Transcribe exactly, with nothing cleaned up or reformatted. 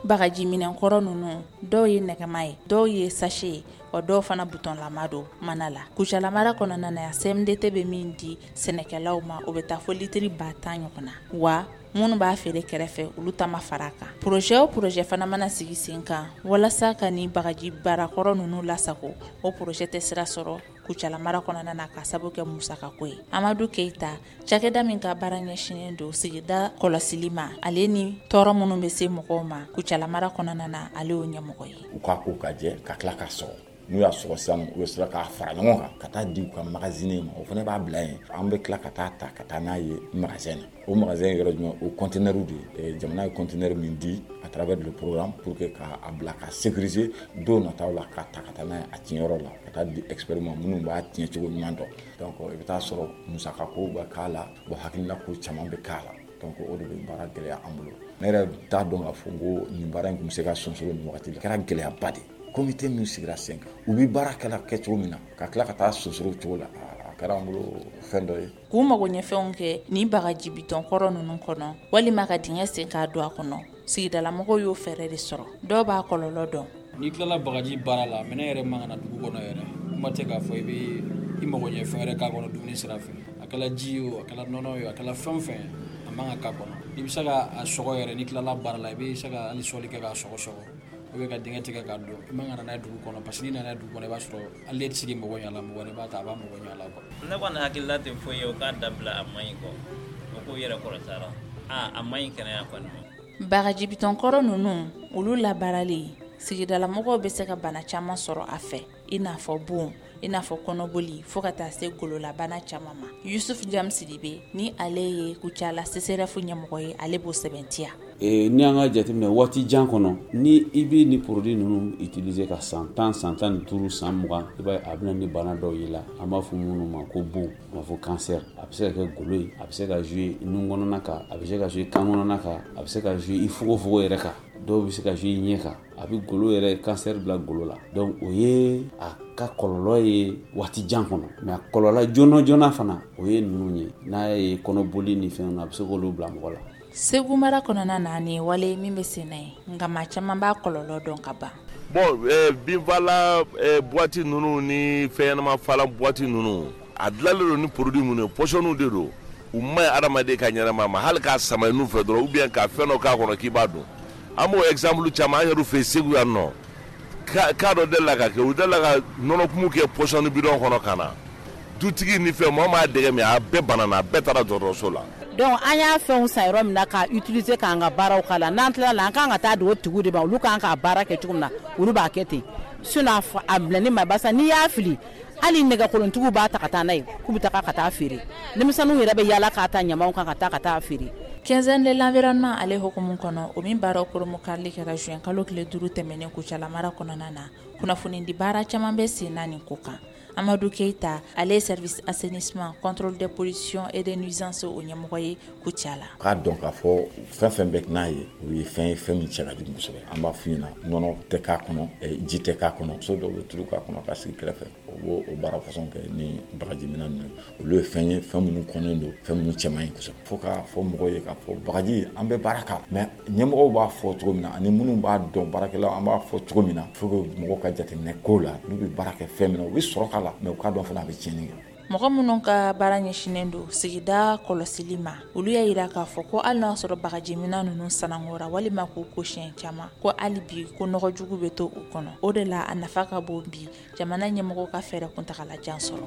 Bagaji minɛnkɔrɔ ninnu, dɔw ye nɛgɛma ye, dɔw ye sachet ye, wa dɔw fana butɔnlama don mana la. Kucala mara kɔnɔna na, C M D T bɛ min di sɛnɛkɛlaw ma, o bɛ taa fɔ litiri ba tan ɲɔgɔn na, wa minnu b'a feere kɛrɛfɛ, olu ta ma fara a kan. Projet o projet fana mana sigi sen kan walasa ka nin bagaji barakɔrɔ ninnu lasago, o projet tɛ sira sɔrɔ Kucala mara kɔnɔna na, ka sababu kɛ musakako ye. Amadu Keyita, cakɛda min ka baara ɲɛsinnen don sigida kɔlɔsili ma, ale ni tɔɔrɔ minnu bɛ se mɔgɔw ma Kucala mara kɔnɔna na, ale y'o ɲɛmɔgɔ ye. U k'a ko ka jɛ ka tila ka sɔgɔ. N'u y'a sɔgɔ sisan, u bɛ sɔrɔ k'a fara ɲɔgɔn kan ka taa di u ka magasin ma. O fana b'a bila yen. An bɛ tila ka taa ta ka taa n'a ye magasin na. O magasin yɔrɔ jumɛn? O conteneur de ye. Jamana ye conteneur min di à travers le programme pour que k'a bila ka sécuriser don nataw la, k'a ta ka taa n'a ye a tiɲɛyɔrɔ la, ka taa di expert ma minnu b'a tiɲɛ cogo ɲuman dɔn. Donc i bɛ taa sɔrɔ musakako bɛ k'a la, bon, hakilina ko caman bɛ k'a la. Donc o de bɛ baara gɛlɛya an bolo. Ne yɛrɛ t'a dɔn k'a fɔ ko nin baara in tun bɛ se ka sonsoro nin wagati la. A kɛra gɛlɛyaba de ye. Comité min sigira sen kan, u bɛ baara kɛla kɛcogo min na, ka tila ka taa sonsoro cogo la, a kɛra an bolo fɛn dɔ ye. K'u mago ɲɛfɛnw kɛ ni bagaji bitɔn kɔrɔ ninnu kɔnɔ, walima ka dingɛ sen k'a don a kɔnɔ, sigidalamɔgɔw y'o fɛɛrɛ de sɔrɔ. Dɔw b'a kɔlɔlɔ dɔn. N'i tilala bagaji baara la, minɛn yɛrɛ man ka na dugu kɔnɔ yɛrɛ. Kuma tɛ k'a fɔ i bɛ i mago ɲɛ fɛn wɛrɛ k'a kɔnɔ dumuni sira fɛ. A kɛla ji ye o, a kɛla nɔnɔ ye o, a kɛla fɛn o fɛn ye, a man ka k'a kɔnɔ. I bɛ se ka a sɔgɔ yɛrɛ. N'i tilala baara la, i bɛ se ka hali sɔli kɛ k'a sɔgɔ sɔgɔ, ou bien ka dingɛ tigɛ k'a don. I man ka na n'a ye dugu kɔnɔ, parce que n'i nana n'a ye dugu kɔnɔ, i b'a sɔrɔ hali e tɛ se k'i mago ɲɛ a la, mɔgɔ wɛrɛ b'a ta, a b'a mago ɲɛ a la quoi. Ne kɔni hakilila tɛ foyi ye, o k'a dabila, a man ɲi kɔ. O k'u yɛrɛ kɔlɔsi a la, a a man ɲi kɛnɛya kɔni ma. Bagaji bitɔn kɔrɔ ninnu, olu labaarali, sigidalamɔgɔw bɛ se ka bana caman sɔrɔ a fɛ, i n'a fɔ bon, i n'a fɔ kɔnɔboli, fo ka taa se gololabana caman ma. Yusuf Jam Sidibe ni ale ye Kucala C C R F ɲɛmɔgɔ ye, ale b'o sɛbɛntiya. N'i y'an ka jateminɛ waati jan kɔnɔ, ni i bɛ ni produit ninnu utiliser ka san tan, san tan ni duuru, san mugan, i b'a ye a bɛ na ni bana dɔw y'i la, an b'a fɔ minnu ma ko bon, an b'a fɔ cancer. A bɛ se ka kɛ golo ye, a bɛ se ka jouer nun kɔnɔna kan, a bɛ se ka jouer kan kɔnɔna kan, a bɛ se ka jouer i fogofogo yɛrɛ kan, dɔw bɛ se ka jouer i ɲɛ kan, a bɛ golo yɛrɛ, cancer bila golo la. Donc o ye a ka kɔlɔlɔ ye waati jan kɔnɔ. Mais a kɔlɔlɔ joona joona fana, o ye ninnu ye. N'a ye kɔnɔboli ni fɛnw, a bɛ se k'olu bila mɔgɔ la. Segu mara kɔnɔna na, nin ye wale min bɛ sen na ye, nka maa caman b'a kɔlɔlɔ dɔn ka ban. Bon, binfagalan boîte ninnu ni fɛnɲɛnama fagalan boîte ninnu, a dilanlen don ni produit minnu ye, poisonw de don. U ma ɲi hadamaden ka ɲɛnamaya ma. Hali k'a sama i nun fɛ dɔrɔn, ou bien ka fɛn dɔ k'a kɔnɔ k'i b'a dun, an b'o exemple caman an yɛrɛ fɛ Segu yan nɔ. Cas dɔ delila ka kɛ, u delila ka nɔnɔkumu kɛ poison bidon kɔnɔ ka na dutigi ni fɛn. Maa m'a dɛgɛ min, a bɛɛ banana, a bɛɛ taara dɔgɔtɔrɔso la. Donc an y'a fɛnw san yɔrɔ min na k'a utiliser k'an ka baaraw k'a la, n'an tilala la, an kan ka taa di o tigiw de ma. Olu kan k'a baara kɛ cogo min na, olu b'a kɛ ten. Sinon a bilali ma, barisa n'i y'a fili, hali nɛgɛkolontigiw b'a ta ka taa n'a ye k'u bɛ taga ka taa feere. Denmisɛnninw yɛrɛ bɛ yaala k'a ta ɲamaw kan ka taa ka taa feere. Quinzaine de l'environnement ale hukumu kɔnɔ, o min baaraw koromokarili kɛra juin kalo tile duuru tɛmɛnen Kucala mara kɔnɔna na, kunnafonidi baara caman bɛ sen na nin ko kan. Amadu Keyita, ale ye service assainissement, contrôle des pollutions et des nuisances o ɲɛmɔgɔ ye Kucala. K'a dɔn k'a fɔ fɛn fɛn bɛ n'a ye, o ye fɛn ye, fɛn min cɛ ka jugu kosɛbɛ. An b'a f'u ɲɛna, nɔnɔ tɛ k'a kɔnɔ, ji tɛ k'a kɔnɔ. So dɔw bɛ tulu k'a kɔnɔ ka sigi kɛrɛfɛ, o b'o o baara façon kɛ ni bagaji minɛn ninnu. Olu ye fɛn ye, fɛn minnu kɔnnen don, fɛn minnu cɛ man ɲi kosɛbɛ. Fo k'a fɔ mɔgɔw ye k'a fɔ bagaji, an bɛ baara k'a, mais ɲɛmɔgɔw b'a fɔ cogo min na, ani minnu b'a dɔn, baarakɛlaw, an b'a fɔ cogo min na, faut que mɔgɔw ka jateminɛ k'o la. N'u bɛ baara kɛ fɛn min na, u bɛ sɔrɔ k'a la, mais u k'a dɔn fana a bɛ tiɲɛni kɛ. Mɔgɔ minnu ka baara ɲɛsinnen don sigida kɔlɔsili ma, olu y'a jira k'a fɔ ko hali n'a sɔrɔ bagajiminɛn ninnu sanangora walima k'u ko siɲɛ caman, ko hali bi ko nɔgɔjugu bɛ to u kɔnɔ. O de la a nafa ka bon bi jamana ɲɛmɔgɔ ka fɛɛrɛ kuntagalajan sɔrɔ.